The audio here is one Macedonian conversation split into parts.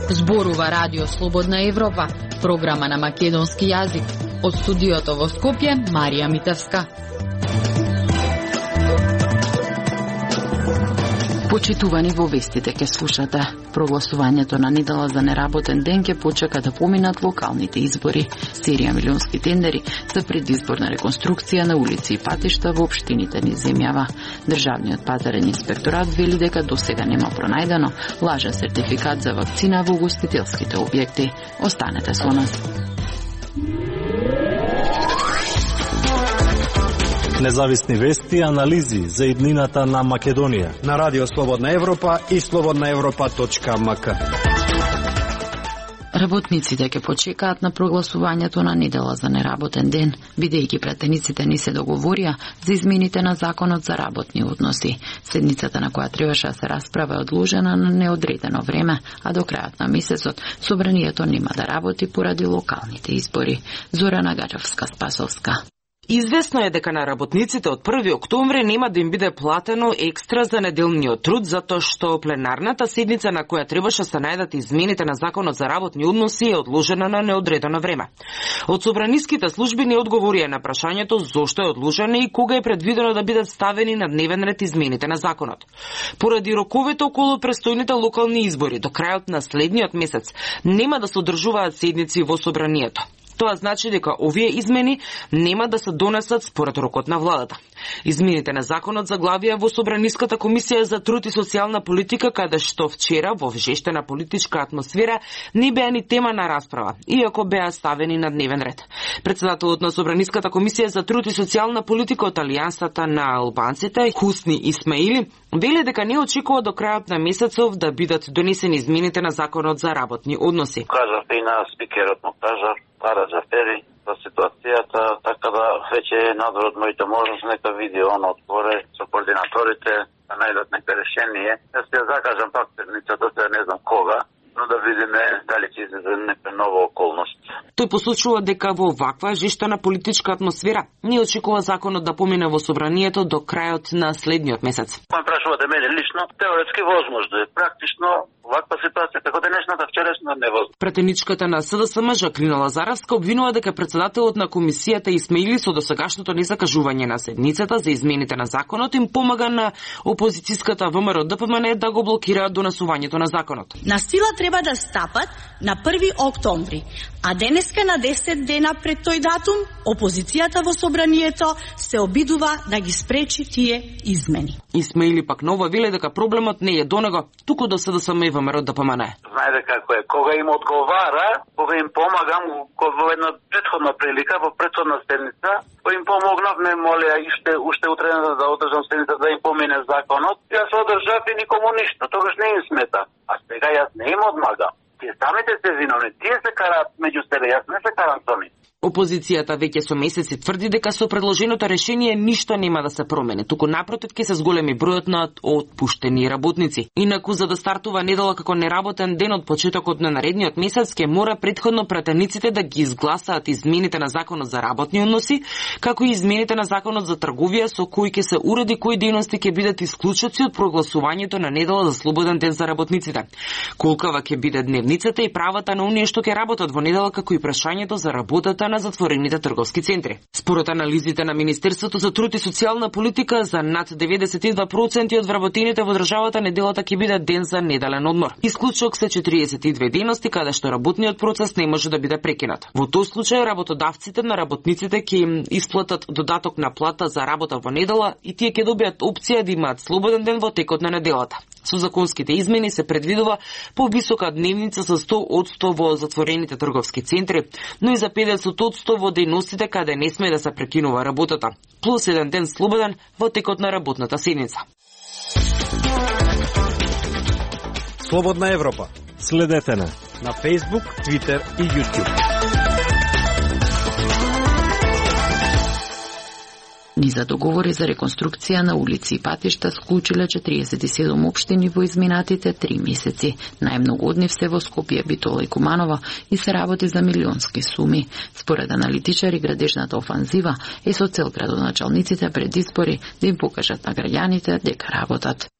Зборува Радио Слободна Европа, програма на македонски јазик. Од студиото во Скопје, Марија Митевска. Почитувани, во вестите ке слушате. Прогласувањето на недела за неработен ден ке почека да поминат локалните избори. Серија милионски тендери за предизборна реконструкција на улици и патишта во општините низ земјава. Државниот пазарен инспекторат вели дека досега нема пронајдено лажен сертификат за вакцина во угостителските објекти. Останете со нас. Независни вести и анализи за иднината на Македонија на Радио Слободна Европа и slobodnaevropa.mk. Работниците ќе почекаат на прогласувањето на недела за неработен ден, бидејќи пратениците не се договорија за измените на законот за работни односи. Седницата на која требаше да се расправа е одложена на неодредено време, а до крајот на месецот собранието нема да работи поради локалните избори. Зорана Гаджевска-Спасовска. Известно е дека на работниците од 1 октомври нема да им биде платено екстра за неделниот труд, затоа што пленарната седница на која требаше се најдат измените на законот за работни односи е одложена на неодредено време. Од собраниските служби не одговорија на прашањето зошто е одложена и кога е предвидено да бидат ставени на дневен ред измените на законот. Поради роковите околу престојните локални избори до крајот на следниот месец нема да се одржуваат седници во собранието. Тоа значи дека овие измени нема да се донесат според рокот на владата. Измените на законот заглавија во Собраниската комисија за труд и социјална политика, каде што вчера во вжештена политичка атмосфера не беа ни тема на расправа, иако беа ставени на дневен ред. Председателот на Собраниската комисија за труд и социјална политика од Алијансата на албанците, Хусни Исмаили, вели дека не очекува до крајот на месецов да бидат донесени измените на законот за работни односи. Кажавте и на спикерот му кажа, Ара Джафери, за ситуацијата, така да веќе е надвор од моите можности, нека види оно отгоре со координаторите, да најдат нека решение. Јас ќе закажам пак седницата, се не знам кога, но да видиме дали ќе излезе нека нова околност. Тој посочува дека во ваква жештена политичка атмосфера не очекува законот да помине во собранието до крајот на следниот месец. Ме прашувате мене лично, теоретски возможно е, практично ваква ситуација како денешната вчерашна невозможно. Пратеничката на СДСМ Жакрина Лазаровска обвинува дека председателот на комисијата Исмаили со досегашното незакажување на седницата за измените на законот им помага на опозицијската ВМРО ДПМН да го блокираат донесувањето на законот. На сила треба да стапат на 1 октомври, а денеска на 10 дена пред тој датум опозицијата во собранието се обидува да ги спречи тие измени. Исмаили пак нова веле дека проблемот не е до него, туку до СДСМ и ВМРО ДПМН. Знаете како е, кога им одговара, кога им помагам во една претходна прилика, во претходна седница, кога им помогнав, ме молеа уште утре да одржам седница да им помине законот, јас одржав и никому ништо, тогаш не им смета. А сега јас не им одмагам. Тие самите се виновни, тие се караат меѓу себе, јас не се карам со нив. Опозицијата веќе со месеци тврди дека со предложеното решение ништо нема да се промени, туку напротив ќе се зголеми бројот на отпуштени работници. Инаку за да стартува недела како неработен ден од почетокот на наредниот месец ќе мора претходно пратениците да ги изгласаат измените на законот за работни односи, како и измените на законот за трговија со кои ќе се уреди кои дејности ќе бидат исклучоци од прогласувањето на недела за слободен ден за работниците. Колкава ќе биде дневницата и правата на оние што ќе работат во недела, како и прашањето за работата на затворените трговски центри. Според анализите на Министерството за труд и социјална политика, за над 92% од вработените во државата неделата ќе биде ден за неделен одмор. Исклучок се 42 дејности каде што работниот процес не може да биде прекинат. Во тој случај работодавците на работниците ќе им исплатат додаток на плата за работа во недела и тие ќе добијат опција да имаат слободен ден во текот на неделата. Со законските измени се предвидува повисока дневница со 100% во затворените трговски центри, но и за 50% во дејностите каде не сме да се прекинува работата, плюс еден ден слободен во текот на работната седница. Слободна Европа. Следете на Facebook, Twitter и YouTube. Низа договори за реконструкција на улици и патишта склучиле 47 општини во изминатите 3 месеци. Најмногу од нив се во Скопје, Битола и Куманово и се работи за милионски суми. Според аналитичари, градежната офанзива е со цел градоначалниците пред избори да им покажат на граѓаните дека работат.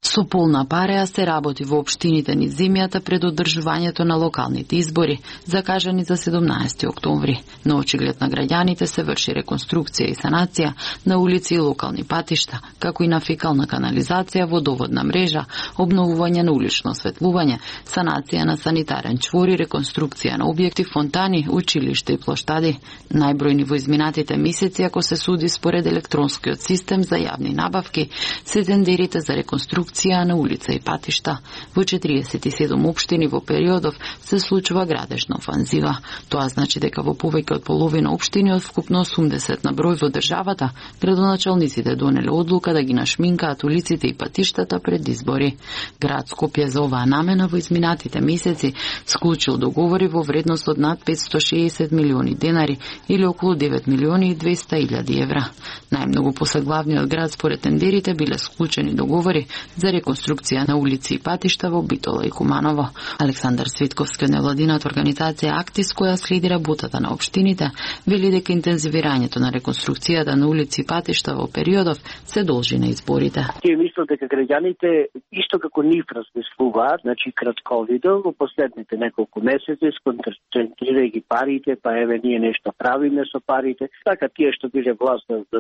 Со полна пареа се работи во општините низ земјата пред одржувањето на локалните избори, закажани за 17 октомври. На очиглед на граѓаните се врши реконструкција и санација на улици и локални патишта, како и на фекална канализација, водоводна мрежа, обновување на улично осветлување, санација на санитарен чвор и реконструкција на објекти, фонтани, училишта и плоштади. Најбројни во изминатите месеци, ако се суди според електронскиот систем за јавни набавки, се тендерите за реконструкција на улица и патишта. Во 47 општини во периодов се случува градежна офанзива. Тоа значи дека во повеќе од половина општини од вкупно 80 на број во државата, градоначалниците донеле одлука да ги нашминкаат улиците и патиштата пред избори. Град Скопје за оваа намена во изминатите месеци склучил договори во вредност од над 560 милиони денари или околу 9 милиони и 200 илјади евра. Најмногу посаглавниот град според тендерите биле склучени договори за реконструкција на улици и патишта во Битола и Куманово. Александар Светковски од невладината организација Актис, која следи работата на општините, вели дека интензивирањето на реконструкцијата на улици и патишта во периодов се должи на изборите. Тие мислат дека граѓаните исто како нив размислуваат, значи кратковидо во последните неколку месеци сконцентрирајќи парите, па еве ние нешто правиме со парите, така тие што биле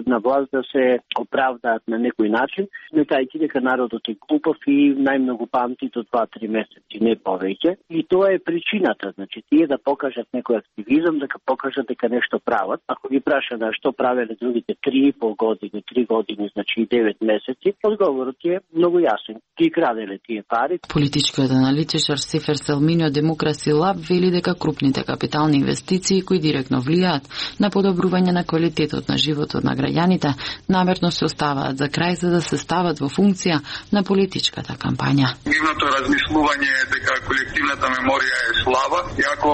на власт да се оправдаат на некој начин, сметајќи дека народот е глупав и најмногу памти до 2-3 месеци, не повеќе. И тоа е причината, значи тие да покажат некој активизам, дека покажат дека нешто прават. Ако ги праша да што правеле другите 3,5 години, 3 години, значи 9 месеци, одговорот е многу јасен. Ги краделе тие пари. Политичкиот аналитичар Сефер Селмини од Демокраси Лаб вели дека крупните капитални инвестиции кои директно влијаат на подобрување на квалитетот на животот на граѓаните намерно се оставаат за крај за да се стават во функција на политичката кампања. Нивното размислување е дека колективната меморија е слаба и ако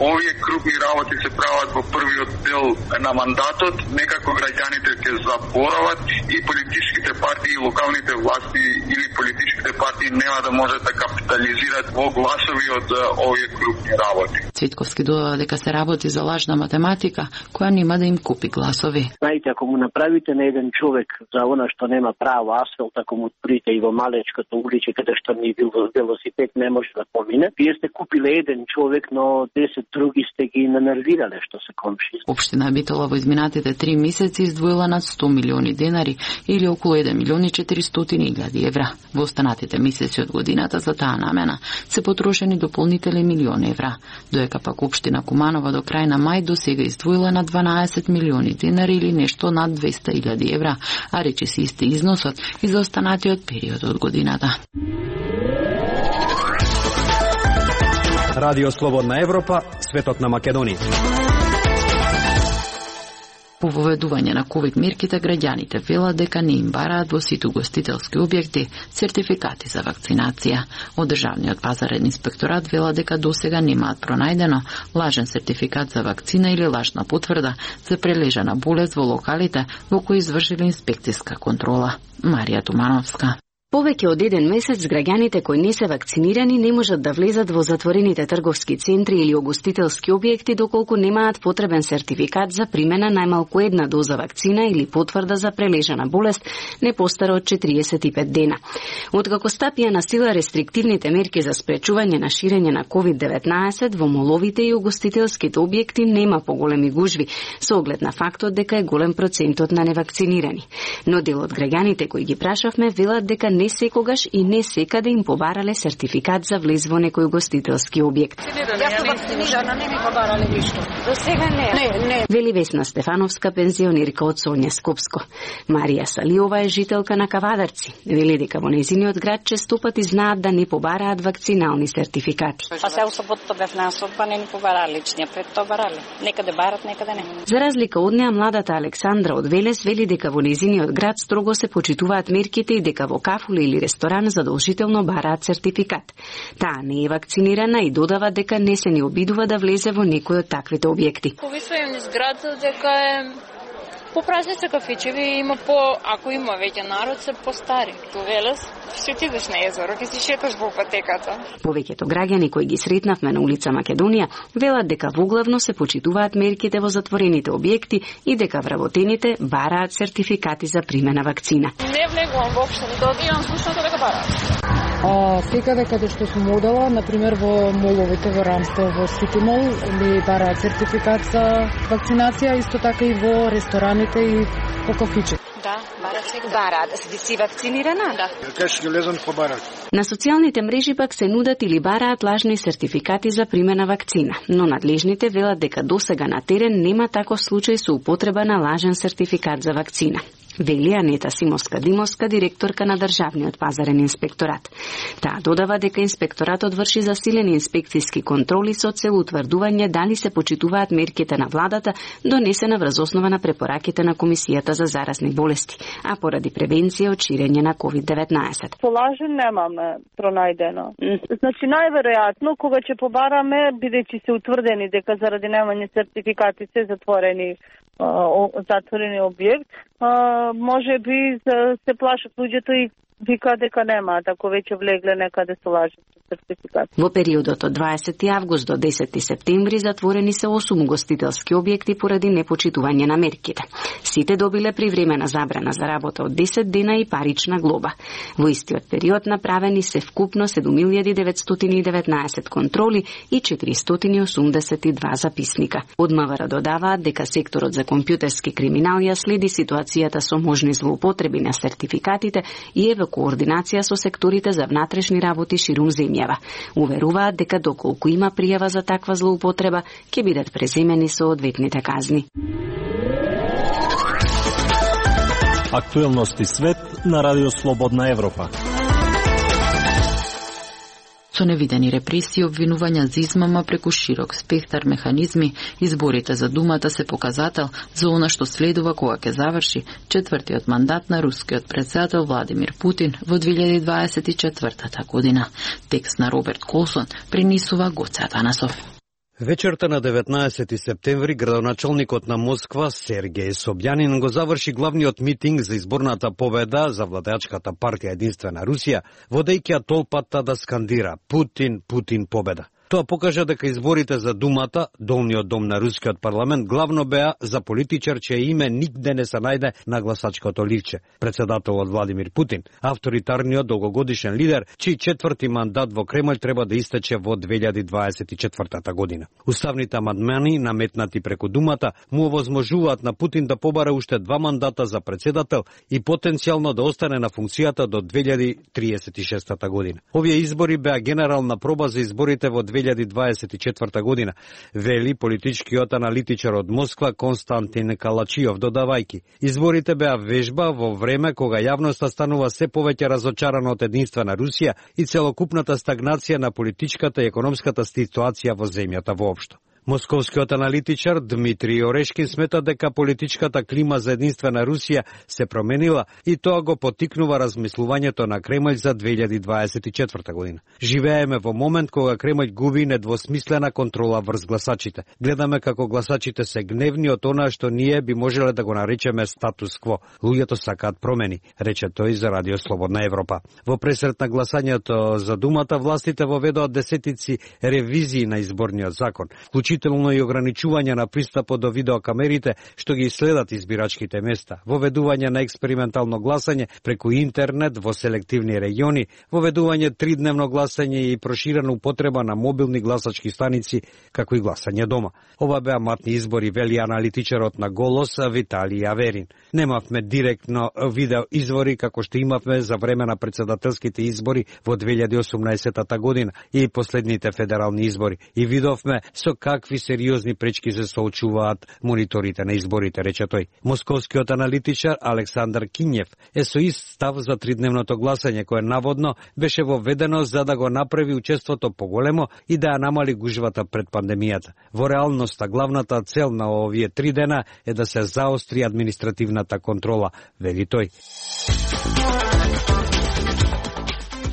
овие крупни работи се прават во првиот дел на мандатот, некако граѓаните ќе заборават и политичките партии, локалните власти или политичките партии нема да можат да капитализираат во гласови од овие крупни работи. Цветковски додава дека се работи за лажна математика која нема да им купи гласови. Знаете, ако му направите на еден човек за она што нема право асфалт, ако му отворите и во малечкото улице каде што ни велосипед не може да помине, вие сте купиле еден човек, но 10 други сте ги нанервирале што се комши. Општина Битола во изминатите 3 месеци издвоила над 100 милиони денари или околу 1 милион и 400 илјади евра. Во останатите месеци од годината за таа намена се потрошени дополнителни милион евра, доека пак општина Куманово до крај на мај до сега издвоила на 12 милиони денари или нешто над 200 илјади евра, а речи се исти износот и за останатиот период од годината. Радио Слободна Европа, светот на Македонија. По воведување на ковид мерките, граѓаните велат дека не им бараат во сите угостителски објекти сертификати за вакцинација. Од Државниот пазарен инспекторат вела дека досега немаат пронајдено лажен сертификат за вакцина или лажна потврда за прележана болест во локалите во кои извршиле инспекцијска контрола. Марија Тумановска. Повеќе од еден месец граѓаните кои не се вакцинирани не можат да влезат во затворените трговски центри или угостителски објекти доколку немаат потребен сертификат за примена најмалку една доза вакцина или потврда за прележана болест не постара од 45 дена. Откако стапија на сила рестриктивните мерки за спречување на ширење на COVID-19 во моловите и угостителските објекти нема поголеми гужви, со оглед на фактот дека е голем процентот на невакцинирани. Но дел од граѓаните кои ги прашавме велат дека не секогаш и не секаде им побарале сертификат за влез во некој угостителски објект. Јас сум вакцинирана, не ми побарале ништо. До сега не. Вели Весна Стефановска, пензионерка од Сонја Скопско. Марија Салиова е жителка на Кавадарци. Вели дека во нејзиниот град често пати знаат да не побараат вакцинални сертификати. Па се сабота бев на асоба, не ни побарале личниот, пред тоа барале. Некаде барат, некаде не. За разлика од неа, младата Александра од Велес вели дека во нејзиниот град строго се почитуваат мерките и дека во кафуле или ресторан задолжително бараат сертификат. Таа не е вакцинирана и додава дека не се ни обидува да влезе во некој од таквите објекти. Повисувам низ град дека е По празници кафичеви има ако има веќе народ се постари. Велес, ќе ти идеш на езеро, ќе си шеташ по патеката. Повеќето граѓани кои ги сретнавме на улица Македонија велат дека воглавно се почитуваат мерките во затворените објекти и дека вработените бараат сертификати за примена вакцина. Не влегувам воопшто, не добивам слушното дека бараат. Секаде каде што сум одела, например во моловите, во Рамстел, во Сити Мол, ли бараат сертификат за вакцинација, исто така и во рестораните и по кафиче. Да, бараат. Си вакцинирана? Да. Кажеш ќе лезам по бараат. На социјалните мрежи пак се нудат или бараат лажни сертификати за примена вакцина, но надлежните велат дека досега на терен нема таков случај со употреба на лажен сертификат за вакцина. Вели Анета Симовска-Димовска, директорка на Државниот пазарен инспекторат. Таа додава дека инспекторатот врши засилени инспекцијски контроли со цел утврдување дали се почитуваат мерките на владата донесена врз основа на препораките на Комисијата за заразни болести, а поради превенција од ширење на COVID-19. Полажен немаме пронајдено. Значи најверојатно кога ќе побараме, бидејќи се утврдени дека заради немање сертификати се затворени објект, може би се плашат луѓето и вика дека немаат, ако веќе влегле некаде со лажен сертификат. Во периодот од 20 август до 10 септември затворени се 8 угостителски објекти поради непочитување на мерките. Сите добиле привремена забрана за работа од 10 дена и парична глоба. Во истиот период направени се вкупно 7919 контроли и 482 записника. Од МВР додаваат дека секторот за компјутерски криминалија следи ситуацијата со можни злоупотреби на сертификатите и е во координација со секторите за внатрешни работи ширум земјава. Уверуваат дека доколку има пријава за таква злоупотреба, ќе бидат преземени соодветните казни. Актуелности свет на Радио Слободна Европа. Со невидени репресии, обвинувања за измама преку широк спектар механизми, изборите за Думата се показател за она што следува кога ќе заврши четвртиот мандат на рускиот председател Владимир Путин во 2024 година. Текст на Роберт Колсон пренесува Гоце Атанасов. Вечерта на 19 септември градоначалникот на Москва Сергеј Собјанин го заврши главниот митинг за изборната победа за владеачката партија Единствена Русија, водејќи ја толпата да скандира Путин, Путин победа. Тоа покажа дека изборите за Думата, долниот дом на рускиот парламент, главно беа за политичар чие име нигде не се најде на гласачкото ливче. Председателот Владимир Путин, авторитарниот долгогодишен лидер, чиј четврти мандат во Кремљ треба да истече во 2024 година. Уставните амандмани, наметнати преку Думата, му овозможуваат на Путин да побара уште 2 мандата за председател и потенцијално да остане на функцијата до 2036 година. Овие избори беа генерална проба за изборите во 2024 година, вели политичкиот аналитичар од Москва Константин Калачиов, додавајки. Изборите беа вежба во време кога јавноста станува се повеќе разочарана од Единствена Русија и целокупната стагнација на политичката и економската ситуација во земјата воопшто. Московскиот аналитичар Дмитрий Орешкин смета дека политичката клима за Единствена Русија се променила и тоа го поттикнува размислувањето на Кремљ за 2024 година. Живееме во момент кога Кремљ губи недвосмислена контрола врз гласачите. Гледаме како гласачите се гневни од она што ние би можеле да го наречеме статус кво. Луѓето сакаат промени, рече тој за Радио Слободна Европа. Во пресрет на гласањето за Думата, властите воведоа десетици ревизии на изборниот закон, вклучително и ограничување на пристапот до видеокамерите што ги следат избирачките места, воведување на експериментално гласање преку интернет во селективни региони, воведување 3-дневно гласање и проширена употреба на мобилни гласачки станици, како и гласање дома. Ова беа матни избори, вели аналитичарот на Голос Виталий Аверин. Немавме директно видео извори како што имавме за време на председателските избори во 2018 година и последните федерални избори. И видовме со какви сериозни пречки се соочуваат мониторите на изборите, рече тој. Московскиот аналитичар Александар Кинјев е со ист став за 3-дневното гласање, кое наводно беше воведено за да го направи учеството поголемо и да ја намали гужвата пред пандемијата. Во реалноста, главната цел на овие 3 дена е да се заостри административната контрола, вели тој.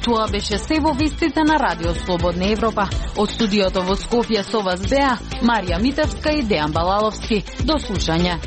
Тоа беше се во вестите на Радио Слободна Европа. Од студиото во Скопје со вас беа Марија Митевска и Дејан Балаловски. До слушање.